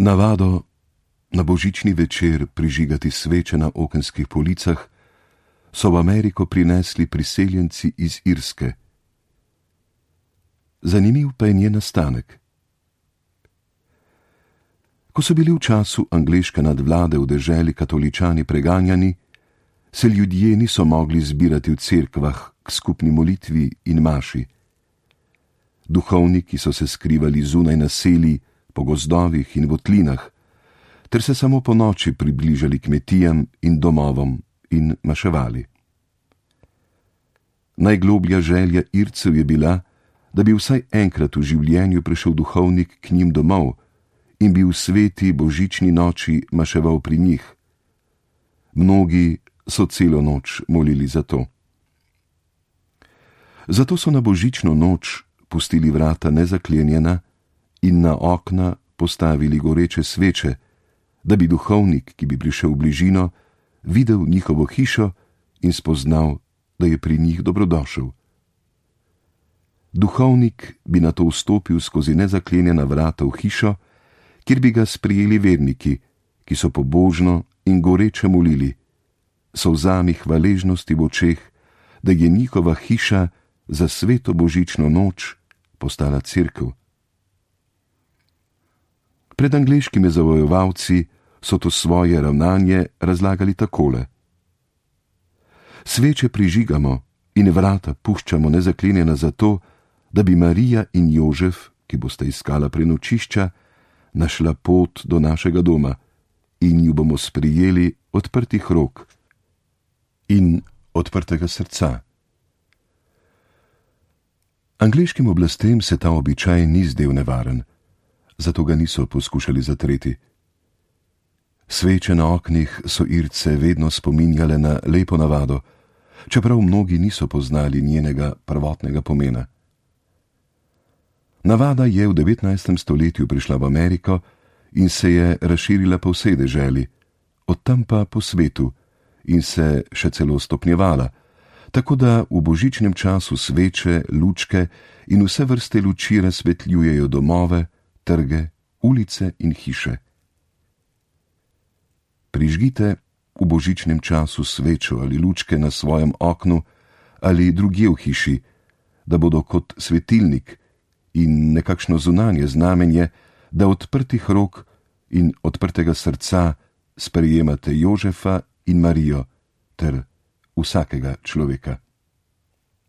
Navado na božični večer prižigati sveče na okenskih policah so v Ameriko prinesli priseljenci iz Irske. Zanimiv pa je njen nastanek. Ko so bili v času angleške nadvlade v deželi katoličani preganjani, se ljudje niso mogli zbirati v cerkvah k skupni molitvi in maši. Duhovniki so se skrivali zunaj naselij, po gozdovih in votlinah, ter se samo po noči približali kmetijam in domovom in maševali. Najgloblja želja Ircev je bila, da bi vsaj enkrat v življenju prišel duhovnik k njim domov in bi v sveti božični noči maševal pri njih. Mnogi so celo noč molili za to. Zato so na božično noč pustili vrata nezaklenjena in na okna postavili goreče sveče, da bi duhovnik, ki bi prišel v bližino, videl njihovo hišo in spoznal, da je pri njih dobrodošel. Duhovnik bi nato vstopil skozi nezaklenjena vrata v hišo, kjer bi ga sprijeli verniki, ki so pobožno in goreče molili, solzami hvaležnosti v očeh, da je njihova hiša za sveto božično noč postala cerkev. Pred angleškimi zavojevalci so to svoje ravnanje razlagali takole. Sveče prižigamo in vrata puščamo nezaklenjena zato, da bi Marija in Jožef, ki bosta iskala prenočišča, našla pot do našega doma in ju bomo sprijeli odprtih rok in odprtega srca. Angleškim oblastem se ta običaj ni zdel nevaren, zato ga niso poskušali zatreti. Sveče na oknih so Irce vedno spominjale na lepo navado, čeprav mnogi niso poznali njenega prvotnega pomena. Navada je v 19. stoletju prišla v Ameriko in se je razširila po vsej deželi, od tam pa po svetu in se še celo stopnjevala, tako da v božičnem času sveče, lučke in vse vrste luči razsvetljujejo domove, trge, ulice in hiše. Prižgite v božičnem času svečo ali lučke na svojem oknu ali drugje v hiši, da bodo kot svetilnik in nekakšno zunanje znamenje, da odprtih rok in odprtega srca sprejemate Jožefa in Marijo ter vsakega človeka.